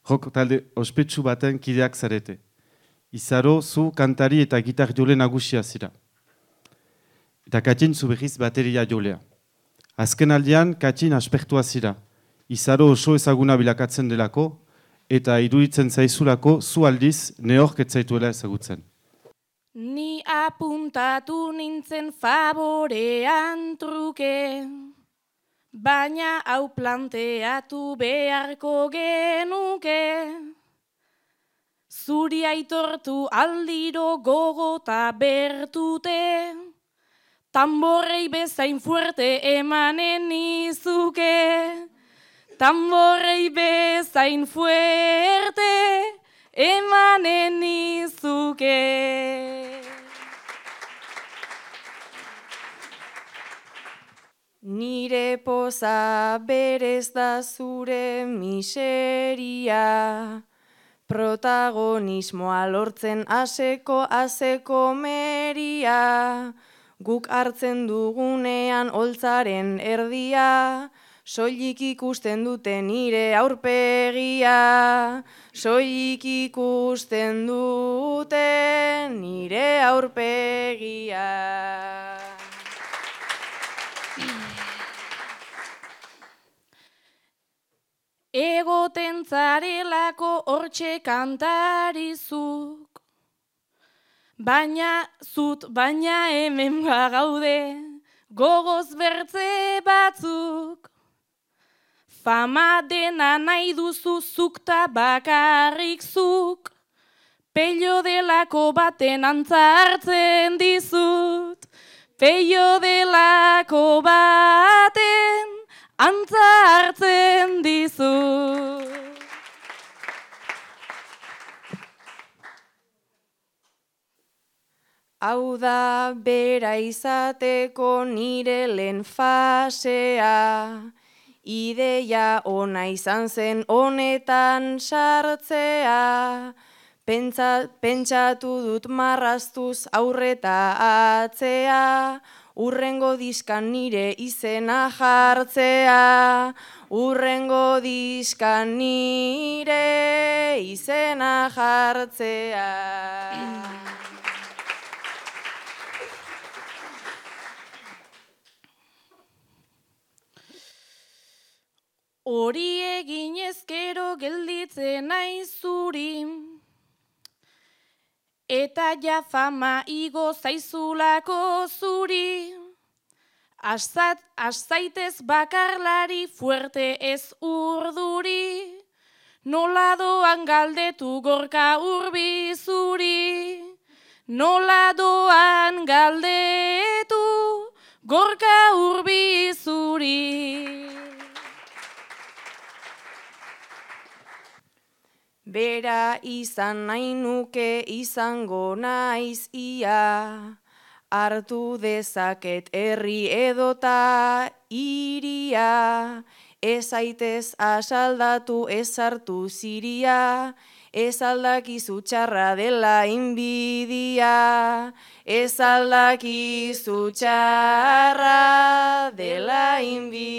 Rock talde ospetsu baten kideak zarete. Izaro, zu kantari eta gitar jole nagusia zira. Eta Katxin zu berriz bateria jolea. Azken aldian, Katxin aspertua zira. Izaro oso ezaguna bilakatzen delako, eta iruditzen zaizulako zu aldiz neork etzaituela ezagutzen. Ni apuntatu nintzen favorean truke, baina hau planteatu beharko genuke. Zuri aitortu aldiro gogota bertute, tamborrei bezain fuerte emanen nizuke. Tamborrei bezain fuerte emanen nizuke. Nire poza berez da zure miseria, protagonismoa lortzen aseko meria, guk hartzen dugunean holtzaren erdia, soilik ikusten dute nire aurpegia, soilik ikusten dute nire aurpegia. Egoten zarelako hortxe kantarizuk, baina hemen bagaude gogoz bertze batzuk. Fama dena nahi duzu zuk ta bakarrik zuk, pello delako baten antza hartzen dizut, pello delako baten antza hartzen dizut. Hau da bera izateko nire lehen fasea, ideia ona izan zen honetan sartzea, pentsatu dut marraztuz aurreta atzea, urrengo diskan nire izena jartzea, urrengo diskan nire izena jartzea. Hori egin ezkero gelditzen naiz zuri, eta ja fama igo zaizulako zuri. Azaitez bakarlari fuerte ez urduri, nola doan galdetu Gorka Urbi zuri, nola doan galdetu Gorka Urbi zuri. Bera izan nahi nuke izango naiz ia, hartu dezaket herri edota iria, ez aitez asaldatu ez hartu ziria, ez aldakizu txarra dela inbidia, ez aldakizu txarra dela inbidia.